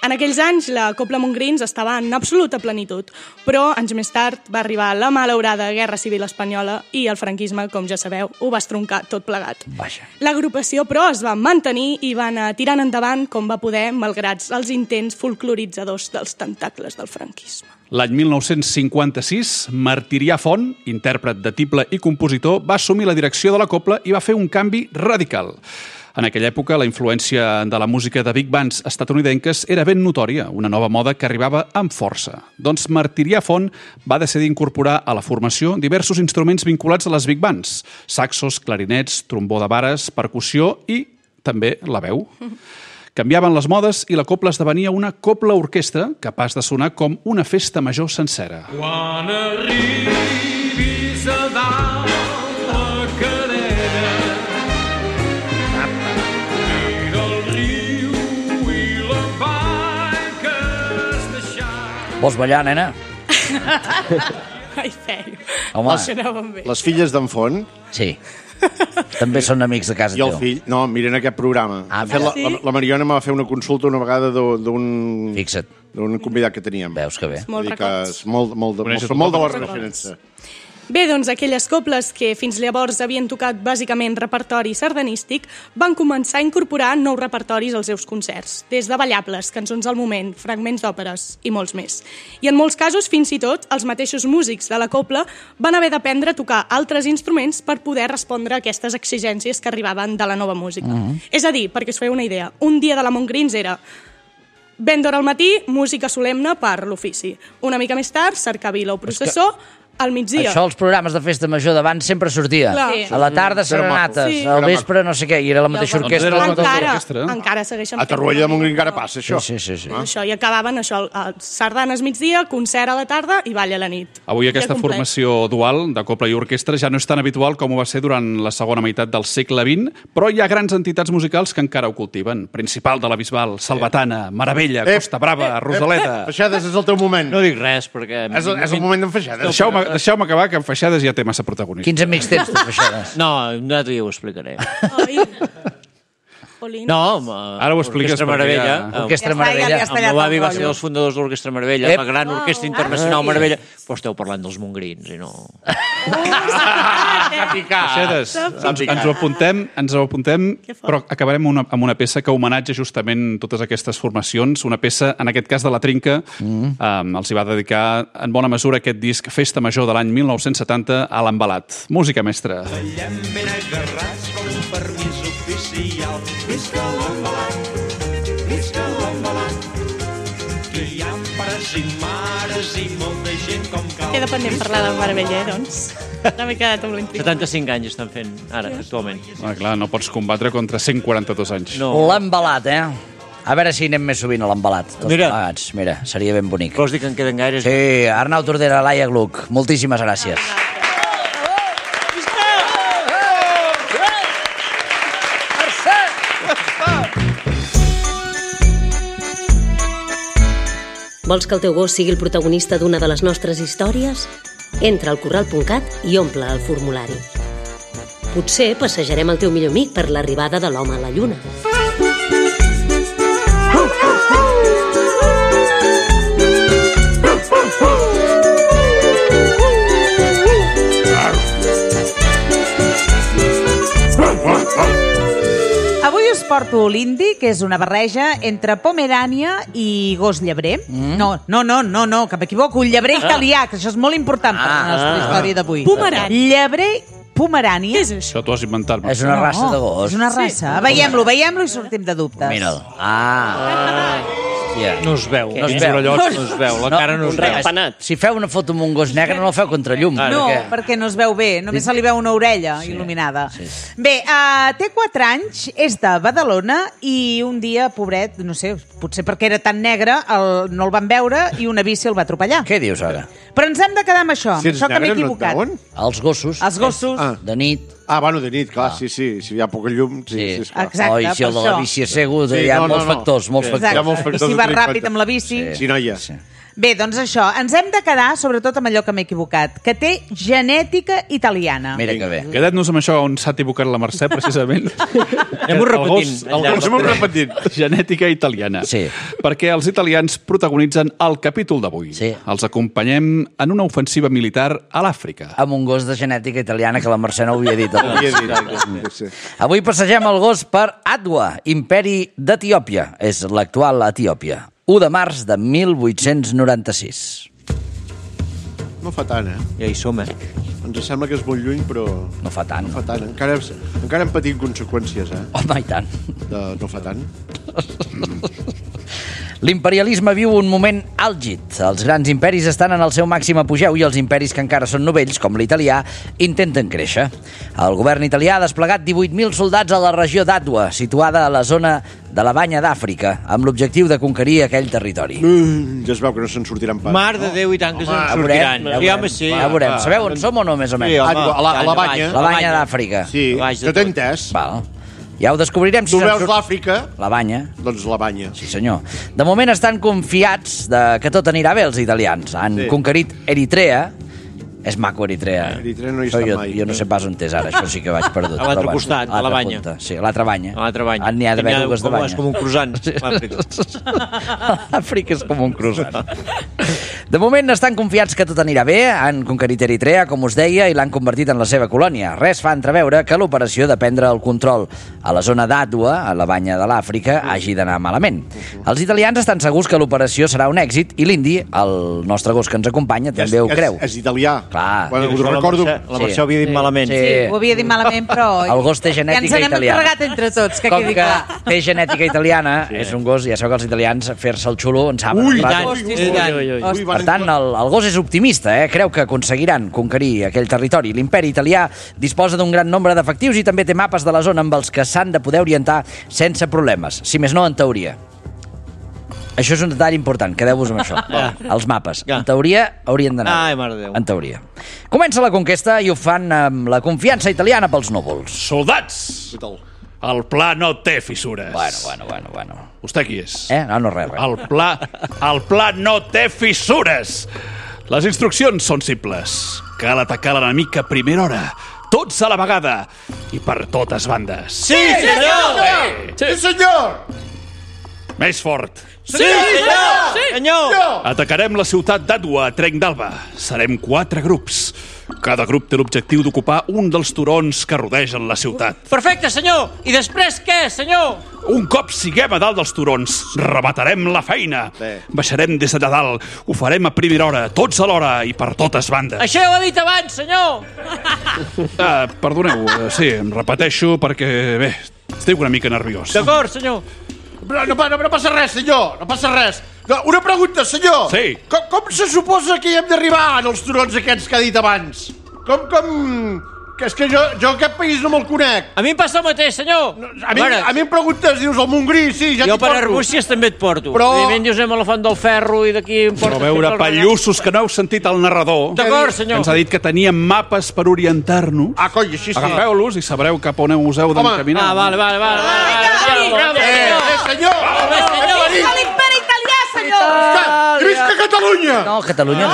En aquells anys, la Cobla Montgrins estava en absoluta plenitud, però anys més tard va arribar la malaurada Guerra Civil Espanyola i el franquisme, com ja sabeu, ho va estroncar tot plegat. Vaja. L'agrupació, però, es va mantenir i va anar tirant endavant com va poder, malgrat els intents folcloritzadors dels tentacles del franquisme. L'any 1956, Martirià Font, intèrpret de tible i compositor, va assumir la direcció de la cobla i va fer un canvi radical. En aquella època, la influència de la música de big bands estatunidenques era ben notòria, una nova moda que arribava amb força. Doncs Martirià Font va decidir incorporar a la formació diversos instruments vinculats a les big bands: saxos, clarinets, trombó de vares, percussió i també la veu. Canviaven les modes i la copla esdevenia una copla-orquestra capaç de sonar com una festa major sencera. Quan arribis a dalt la cadena, mira el riu i la vall que has deixat. Vols ballar, nena? Ai, feio. Home. Els sonaven bé. Les filles d'en Font... Sí. També són amics de casa I el teu. fill... No, miren aquest programa. La Mariona em va fer una consulta una vegada d'un... Fixa't. D'un convidat que teníem. Veus que bé. Molt records. Molt de la referència. Bé, doncs aquelles coples que fins llavors havien tocat bàsicament repertori sardanístic van començar a incorporar nous repertoris als seus concerts, des de ballables, cançons al moment, fragments d'òperes i molts més. I en molts casos, fins i tot, els mateixos músics de la copla van haver d'aprendre a tocar altres instruments per poder respondre a aquestes exigències que arribaven de la nova música. És a dir, perquè us feu una idea, un dia de la Montgrins era ben d'hora al matí, música solemne per l'ofici. Una mica més tard, cercavila o processó, al migdia. Això als programes de festa major d'abans sempre sortia. Sí. A la tarda serenates, Sí. al vespre no sé què, i era la mateixa orquestra. Encara segueixen A Torroella de Montgrí encara passa, això. Sí. Això, i acabaven això, sardanes migdia, concert a la tarda i ball a la nit. Avui aquesta formació dual de copla i orquestra ja no és tan habitual com ho va ser durant la segona meitat del segle XX, però hi ha grans entitats musicals que encara ho cultiven. Principal de la Bisbal, Salvatana, Meravella, Costa Brava, Rosaleda... Feixades, és el teu moment. No dic res, perquè... És el moment d'en Feixades. Deixeu-me acabar, que en Feixades ja té massa protagonisme. Quins amics tens, tu, Feixades? No, nosaltres ja ho explicaré. No, ara ho expliques perquè ja... Orquestra Meravella. Ja El meu avi va ser dels fundadors de l'Orquestra Meravella, la gran orquestra internacional Meravella. Però esteu parlant dels mongrins, i no... Feixades, ens ho apuntem, però acabarem amb una peça que homenatja justament totes aquestes formacions. Una peça, en aquest cas de la Trinca, els hi va dedicar en bona mesura aquest disc Festa Major de l'any 1970 a l'Embalat. Música mestra. Ballem ben agarrats com un permís oficial. Visca l'Embalat, que hi ha pares i mares i molta gent com cal. Queda pendent parlar del Meravella, doncs. No m'he quedat amb l'intriga. 75 anys estan fent ara, actualment. Clar, no pots combatre contra 142 anys. No. L'Embalat, A veure si anem més sovint a l'Embalat. Mira, seria ben bonic. Vols dir que en queden gaires? Sí, Arnau Tordera, Laia Gluck, moltíssimes gràcies. Vols que el teu gos sigui el protagonista d'una de les nostres històries? Entra al corral.cat i omple el formulari. Potser passejarem el teu millor amic per l'arribada de l'home a la lluna. Avui us porto l'indi, que és una barreja entre Pomerània i gos llebrer. No, que m'equivoco. Un llebrer italià, que això és molt important per la nostra història d'avui. Pomerània. Llebrer Pomerània. Què és això? Això t'ho has inventat. És una raça de gos. És una raça. Veiem-lo i sortim de dubtes. Mira'l. No es veu. No es veu. No es veu. La cara no es veu. Si feu una foto amb un gos negre, no la feu contra llum. No, perquè no es veu bé. Només se li veu una orella il·luminada. Bé, té 4 anys, és de Badalona i un dia, pobret, no sé, potser perquè era tan negre, no el van veure i una bici el va atropellar. Què dius ara? Però ens hem de quedar amb això. Si ets Això que m'he negre, no et equivocat. veuen? Els gossos. Els gossos. De nit. Bueno, de nit, clar, sí. Si hi ha poca llum, sí, esclar. Exacte, Oh, i si el de la per bici és cego, hi ha molts factors. Exacte. I si vas ràpid amb la bici... Sí, noia. Bé, doncs això, ens hem de quedar sobretot amb allò que m'he equivocat, que té genètica italiana. Mira que bé. Quedat-nos amb això on s'ha equivocat la Mercè, precisament. Anem-ho repetint. Anem-ho repetint. Genètica italiana. Sí. Perquè els italians protagonitzen el capítol d'avui. Sí. Els acompanyem en una ofensiva militar a l'Àfrica. Amb un gos de genètica italiana que la Mercè no ho havia dit. Sí. Avui passegem el gos per Adwa, imperi d'Etiòpia. És l'actual Etiòpia. 1 de març de 1896. No fa tant, Ja hi som, Ens sembla que és molt lluny, però... No fa tant. No fa tant. Encara hem patit conseqüències, Home, i tant. No fa tant. L'imperialisme viu un moment àlgid. Els grans imperis estan en el seu màxim apogeu i els imperis que encara són novells, com l'italià, intenten créixer. El govern italià ha desplegat 18.000 soldats a la regió d'Àdua, situada a la zona de la Banya d'Àfrica, amb l'objectiu de conquerir aquell territori. Ja es veu que no se'n sortiran pas. Mar de Déu, i tant que se'n sortiran. Ja veurem. Sabeu on som o no, més o menys? A la Banya. La Banya d'Àfrica. Sí, que t'he entès. Val. Ja ho descobrirem. Tu veus l'Àfrica? La Banya. Doncs la Banya. Sí, senyor. De moment estan confiats que tot anirà bé, els italians. Han conquerit Eritrea. És maco, Eritrea. Eritrea no hi està mai. Jo no sé pas on és ara, això sí que vaig perdut. A l'altre costat, a la Banya. Sí, a l'altra Banya. A l'altra Banya. N'hi ha d'haver dues de Banya. És com un croissant, l'Àfrica. L'Àfrica és com un croissant. De moment estan confiats que tot anirà bé, han conquerit Eritrea, com us deia, i l'han convertit en la seva colònia. Res fa entreveure que l'operació de prendre el control a la zona d'Àdua, a la Banya de l'Àfrica, hagi d'anar malament. Els italians estan segurs que l'operació serà un èxit i l'indi, el nostre gos que ens acompanya, també ho creu. És italià. Clar. Bueno, ho recordo. La versió havia dit malament. Sí, ho havia dit malament, però... El gos té genètica italiana. Ja ens n'hem encarregat entre tots, que quedi clar. Com que té genètica italiana, és un gos, ja sabeu que els italians fer-se el xulo en saben. Ui, Per tant, el gos és optimista, creu que aconseguiran conquerir aquell territori. L'imperi italià disposa d'un gran nombre d'efectius i també té mapes de la zona amb els que s'han de poder orientar sense problemes, si més no en teoria. Això és un detall important, quedeu-vos amb això. Els mapes. En teoria haurien d'anar. Ai, mare de Déu. En teoria. Comença la conquesta i ho fan amb la confiança italiana pels núvols. Soldats! El pla no té fissures. Bueno. Vostè qui és? No, res. El pla no té fissures. Les instruccions són simples. Cal atacar l'enemic a primera hora. Tots a la vegada. I per totes bandes. Sí, senyor! Sí, senyor! Més fort. Sí, senyor! Senyor! Atacarem la ciutat d'Àdua a Trenc d'Alba. Serem 4 grups. Cada grup té l'objectiu d'ocupar un dels turons que rodegen la ciutat. Perfecte, senyor! I després què, senyor? Un cop siguem a dalt dels turons, rebatarem la feina. Baixarem des de dalt, ho farem a primera hora, tots alhora i per totes bandes. Això ja ho he dit abans, senyor! Perdoneu, sí, em repeteixo perquè, bé, estic una mica nerviós. D'acord, senyor. No passa res, senyor, no passa res. Una pregunta, senyor. Sí. Com se suposa que hi hem d'arribar en els turons aquests que ha dit abans? Com... Que és que jo aquest país no me'l conec. A mi em passa el mateix, senyor. A mi em preguntes, dius, el Montgrí, sí, ja t'hi porto. Jo per Arbúcies també et porto. Però... Evidentment dius anem a la Font del Ferro i d'aquí em portes... Però veure, pallussos, que no heu sentit el narrador. D'acord, senyor. Ens ha dit que teníem mapes per orientar-nos. Coi, així sí. Agafeu-los i sabreu cap on us heu d'encaminar. Vale. Senyor! Visca l'imperi italià, senyor! Visca Catalunya! No, Catalunya no.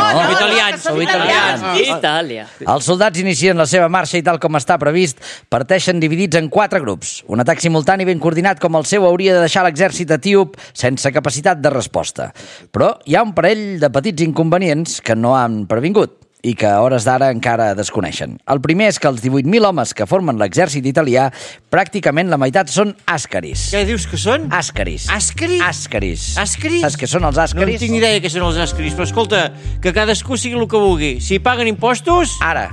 Sou italians. Itàlia. Els soldats inicien la seva marxa i tal com està previst, parteixen dividits en 4 grups. Un atac simultani ben coordinat com el seu hauria de deixar l'exèrcit etíop sense capacitat de resposta. Però hi ha un parell de petits inconvenients que no han previngut i que a hores d'ara encara desconeixen. El primer és que els 18.000 homes que formen l'exèrcit italià, pràcticament la meitat són àscaris. Què dius que són? Àscaris. Àscaris? Àscaris. Àscaris? Saps què són els No àscaris? tinc ni idea què són els àscaris, però escolta, que cadascú sigui el que vulgui. Si paguen impostos... Ara.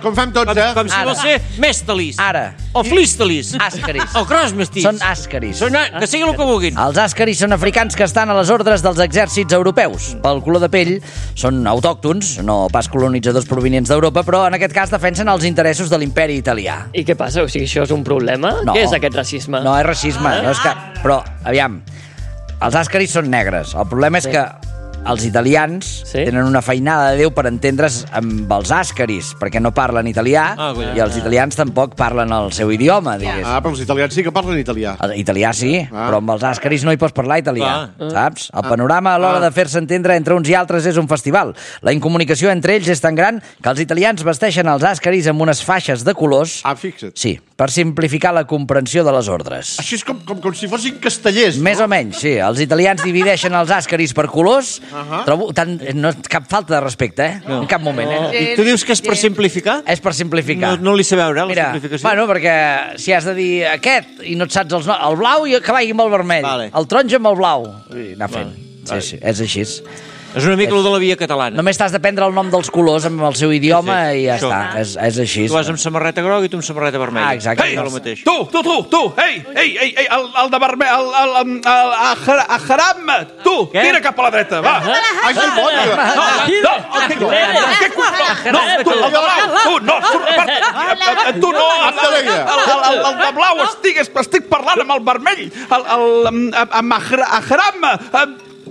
Com fem tots, Com si vol ser mèstalis. Ara. O flistalis. Àscaris. O crossmestis. Són àscaris. Que sigui el que vulguin. Els àscaris són africans que estan a les ordres dels exèrcits europeus. Pel color de pell són autòctons, no pas colonitzadors provenients d'Europa, però en aquest cas defensen els interessos de l'imperi italià. I què passa? O sigui, això és un problema? No. Què és aquest racisme? No és racisme, no és que... Però, aviam, els àscaris són negres. El problema és que els italians tenen una feinada de Déu per entendre's amb els àscaris, perquè no parlen italià, i els italians tampoc parlen el seu idioma, digués. Però els italians sí que parlen italià. Italià sí, però amb els àscaris no hi pots parlar italià, saps? El panorama a l'hora de fer-se entendre entre uns i altres és un festival. La incomunicació entre ells és tan gran que els italians vesteixen els àscaris amb unes faixes de colors... Fixa't. Sí, per simplificar la comprensió de les ordres. Així és com si fossin castellers. Més o menys, sí. Els italians divideixen els àscaris per colors. Trobo no cap falta de respecte, No. En cap moment, I tu dius que és per simplificar? És per simplificar. No li sé veure, la simplificació. Bueno, perquè si has de dir aquest i no et saps els noms, el blau i que vagi amb el vermell, el taronja amb el blau, i anar fent. Sí, és així. És una mica el de la via catalana. Només t'has de prendre el nom dels colors amb el seu idioma i ja està. És així. Tu vas amb samarreta groga i tu amb samarreta vermella. Exacte. Ei, tu! Ei, el de vermell, a Haram, tu, tira cap a la dreta, va. Ai, que boja! Tu no, el de blau, estic parlant amb el vermell, amb Haram,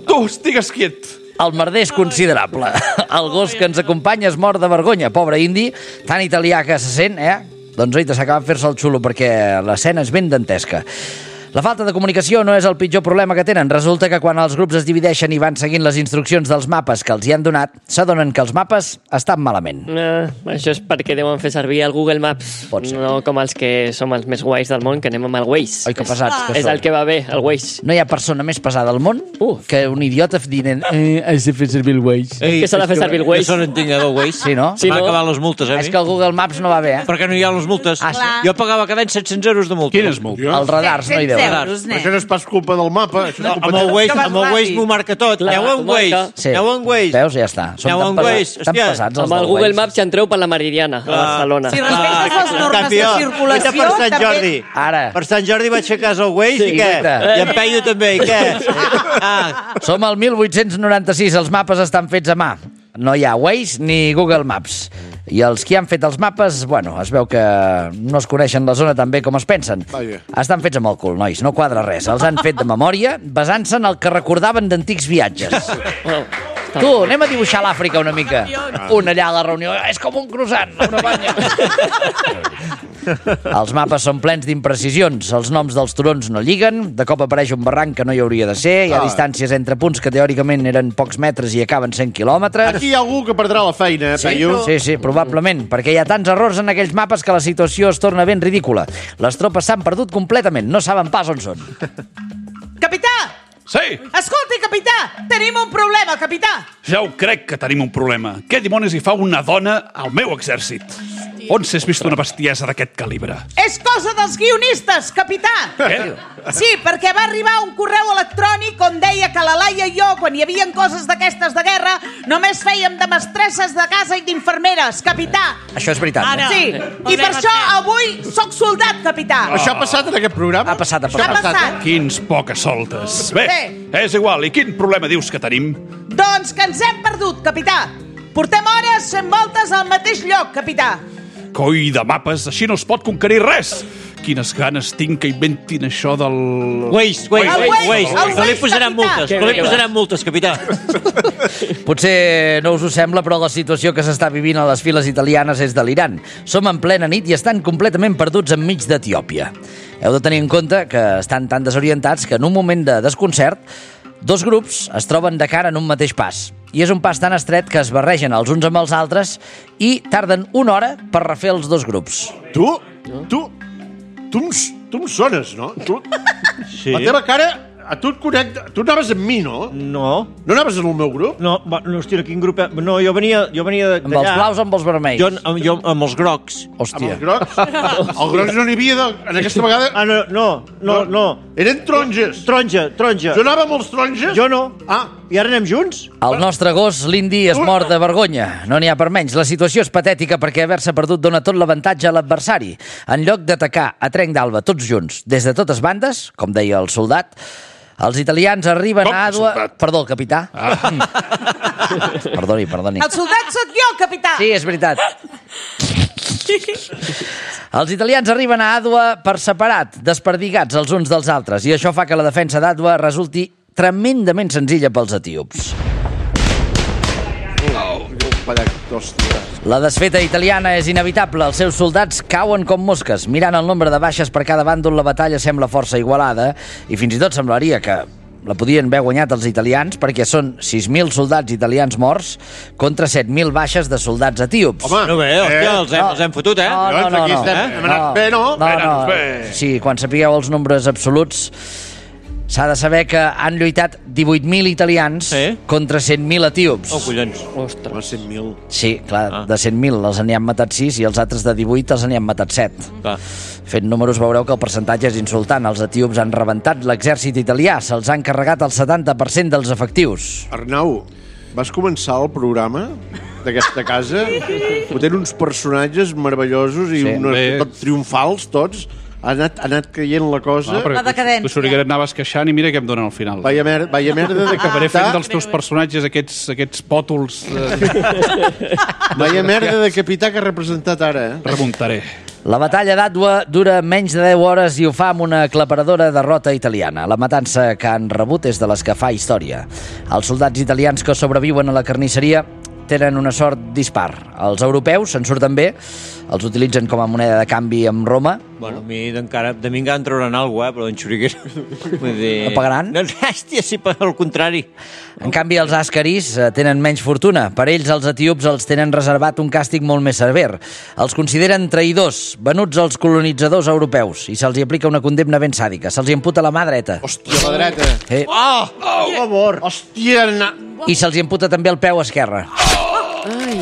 tu estigues quiet. El merder és considerable. El gos que ens acompanya es mor de vergonya. Pobre indi, tan italià que se sent, Doncs oita, s'acaba de fer-se el xulo perquè l'escena és ben dantesca. La falta de comunicació no és el pitjor problema que tenen. Resulta que quan els grups es divideixen i van seguint les instruccions dels mapes que els hi han donat, s'adonen que els mapes estan malament. Això és perquè deuen fer servir el Google Maps. No com els que som els més guais del món, que anem amb el Waze. Oi, que pesats que és som. el que va bé, el Waze. No hi ha persona més pesada al món que un idiota dient has de fer servir el Waze. Que s'ha de fer servir el Waze? Jo no entenc del Waze. Sí, no? M'ha acabat les multes, És que el Google Maps no va bé, Per què no hi ha les multes? Jo pagava cada any 700 euros de multa. Quines multes? Els radars no hi deuen. Això no és pas culpa del mapa. Amb el Waze m'ho marca tot. Aneu en Waze. Aneu en Waze. Veus, ja està. Són tan pesats amb el Google Maps ja entreu per la Meridiana, a Barcelona. Si respectes les normes de circulació, per Sant Jordi. Ara. Per Sant Jordi vaig fer cas al Waze i què? I en Peyu també, i què? Som al 1896, els mapes estan fets a mà. No hi ha Waze ni Google Maps. I els que han fet els mapes, es veu que no es coneixen la zona tan bé com es pensen. Estan fets amb el cul, nois, no quadra res. Els han fet de memòria, basant-se en el que recordaven d'antics viatges. Tu, anem a dibuixar l'Àfrica una mica. Un allà a la reunió, és com un croissant, una banya. Els mapes són plens d'imprecisions, els noms dels turons no lliguen, de cop apareix un barranc que no hi hauria de ser, hi ha distàncies entre punts que teòricament eren pocs metres i acaben 100 quilòmetres. Aquí hi ha algú que perdrà la feina, Peyu. Sí, probablement, perquè hi ha tants errors en aquells mapes que la situació es torna ben ridícula. Les tropes s'han perdut completament, no saben pas on són. Capità! Sí! Escolti, capità! Tenim un problema, capità! Ja ho crec que tenim un problema. Què dimonis hi fa una dona al meu exèrcit? On s'has vist una bestiesa d'aquest calibre? És cosa dels guionistes, capità! Què? Sí, perquè va arribar un correu electrònic on deia que la Laia i jo, quan hi havia coses d'aquestes de guerra, només fèiem de mestresses de casa i d'infermeres, capità. Això és veritat. Sí, i per això avui sóc soldat, capità. Això ha passat en aquest programa? Ha passat. Quins poques soltes. Bé, és igual. I quin problema dius que tenim? Doncs que ens hem perdut, capità. Portem hores fent voltes al mateix lloc, capità. Coi de mapes, així no es pot conquerir res. Quines ganes tinc que inventin això del... Waze. No li posaran multes, capità. Potser no us ho sembla, però la situació que s'està vivint a les files italianes és delirant. Som en plena nit i estan completament perduts enmig d'Etiòpia. Heu de tenir en compte que estan tan desorientats que en un moment de desconcert dos grups es troben de cara en un mateix pas. I és un pas tan estret que es barregen els uns amb els altres i tarden una hora per refer els dos grups. Tu em sones, no? Sí. La teva cara, a tu et connecta... Tu anaves amb mi, no? No. No anaves en el meu grup? No, hòstia, quin grup... No, jo venia d'allà. Amb els blaus o amb els vermells? Jo amb els grocs. Hòstia. Amb els grocs? El grocs no n'hi havia en aquesta vegada... No. Eren taronges. Taronja. Jo anava amb els taronges? Jo no. I ara anem junts? El nostre gos, l'indi, es mor de vergonya. No n'hi ha per menys. La situació és patètica perquè haver-se perdut dona tot l'avantatge a l'adversari. En lloc d'atacar a trenc d'alba tots junts, des de totes bandes, com deia el soldat, els italians arriben a Àdua... Perdó, el capità. Perdoni. El soldat sóc jo, capità. Sí, és veritat. Els italians arriben a Àdua per separat, desperdigats els uns dels altres, i això fa que la defensa d'Àdua resulti tremendament senzilla pels etíops. La desfeta italiana és inevitable. Els seus soldats cauen com mosques. Mirant el nombre de baixes per cada bàndol, la batalla sembla força igualada i fins i tot semblaria que la podien haver guanyat els italians perquè són 6.000 soldats italians morts contra 7.000 baixes de soldats etíops. Home, no bé, els hem fotut, eh? No. Hem anat bé, no? Sí, quan sapigueu els nombres absoluts, s'ha de saber que han lluitat 18.000 italians contra 100.000 etíops. Oh, collons. Ostres. 100.000. Sí, clar, de 100.000 els n'hi han matat 6 i els altres de 18 els n'hi han matat 7. Clar. Fent números veureu que el percentatge és insultant. Els etíops han rebentat l'exèrcit italià, se'ls han carregat el 70% dels efectius. Arnau, vas començar el programa d'aquesta casa, fotent uns personatges meravellosos i tot triomfals, tots. Ha anat caient la cosa. La decadència. Tu que anaves queixant i mira què em donen al final. Vaya merda de acabaré fent dels teus personatges aquests pòtols. Vaya merda de capità que ha representat ara. Remuntaré. La batalla d'Àdua dura menys de 10 hores i ho fa amb una aclaparadora derrota italiana. La matança que han rebut és de les que fa història. Els soldats italians que sobreviuen a la carnisseria tenen una sort dispar. Els europeus se'n surten bé, els utilitzen com a moneda de canvi amb Roma. Bueno, a mi encara en trauran alguna cosa, però en Xuriguera... No pagaran? No, hòstia, sí, al contrari. En canvi, els àscaris tenen menys fortuna. Per ells, els etíops els tenen reservat un càstig molt més sever. Els consideren traïdors, venuts als colonitzadors europeus, i se'ls aplica una condemna ben sàdica. Se'ls imputa la mà dreta. Hòstia, la dreta. Per favor. Hòstia, I se'ls imputa també el peu esquerre. Ai.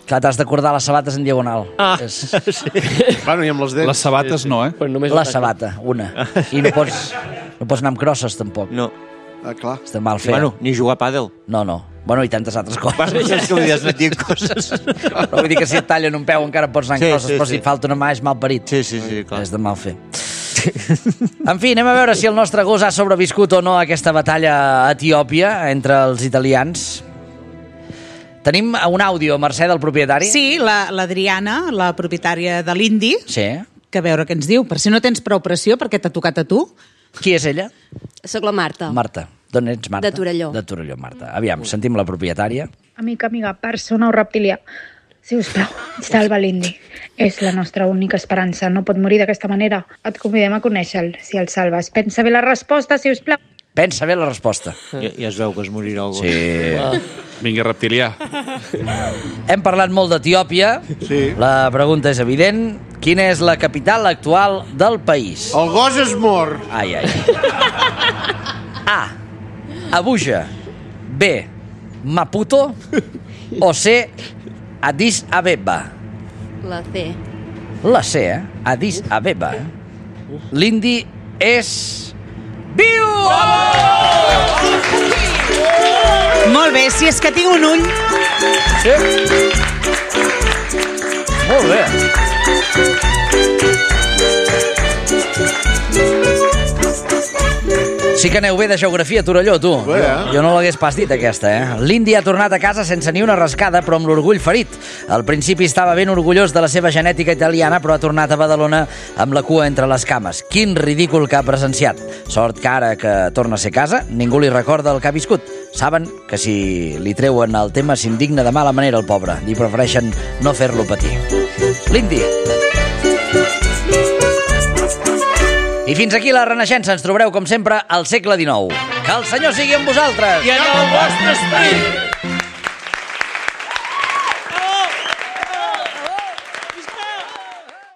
Clar, t'has d'acordar les sabates en diagonal. Sí. Bueno, i amb les dents. Les sabates no, La sabata, una. I no pots anar amb crosses, tampoc. No. Clar. Està mal fet. Bueno, ni jugar a pàdel. No. Bueno, i tantes altres coses. És que vull dir, has anat dient coses. No, vull dir que si et tallen un peu encara pots anar amb crosses, però si et falta una mà és mal parit. Sí, clar. És de mal fer. En fi, anem a veure si el nostre gos ha sobreviscut o no a aquesta batalla a Etiòpia entre els italians. Tenim un àudio, Mercè, del propietari? Sí, l'Adriana, la propietària de l'Indi, Sí. que a veure què ens diu. Per si no tens prou pressió, perquè t'ha tocat a tu. Qui és ella? Soc la Marta. Marta. D'on ets, Marta? De Torelló. De Torelló, Marta. Aviam, sentim la propietària. Amiga, persona o reptilià, si us plau, salva l'Indi. És la nostra única esperança. No pot morir d'aquesta manera. Et convidem a conèixer-lo, si el salves. Pensa bé la resposta, si us plau. Pensa bé la resposta. Ja es veu que es morirà algú. Sí. Vinga, reptilià. Hem parlat molt d'Etiòpia. Sí. La pregunta és evident. Quina és la capital actual del país? El gos es mor. Ai. A. Abuja. B. Maputo. O C. Addis Abeba. La C. La C, Addis Abeba. L'Indi és... viu! Molt bé, si és que tinc un ull. Sí. Molt bé. Sí que aneu bé de geografia, Torelló, tu. Bé, Jo no l'hagués pas dit, aquesta, L'Indi ha tornat a casa sense ni una rascada, però amb l'orgull ferit. Al principi estava ben orgullós de la seva genètica italiana, però ha tornat a Badalona amb la cua entre les cames. Quin ridícul que ha presenciat. Sort que ara que torna a ser casa, ningú li recorda el que ha viscut. Saben que si li treuen el tema s'indigna de mala manera el pobre. I prefereixen no fer-lo patir. L'Indi. I fins aquí la Renaixença. Ens trobareu, com sempre, al segle XIX. Que el Senyor sigui amb vosaltres! I en el vostre esperit!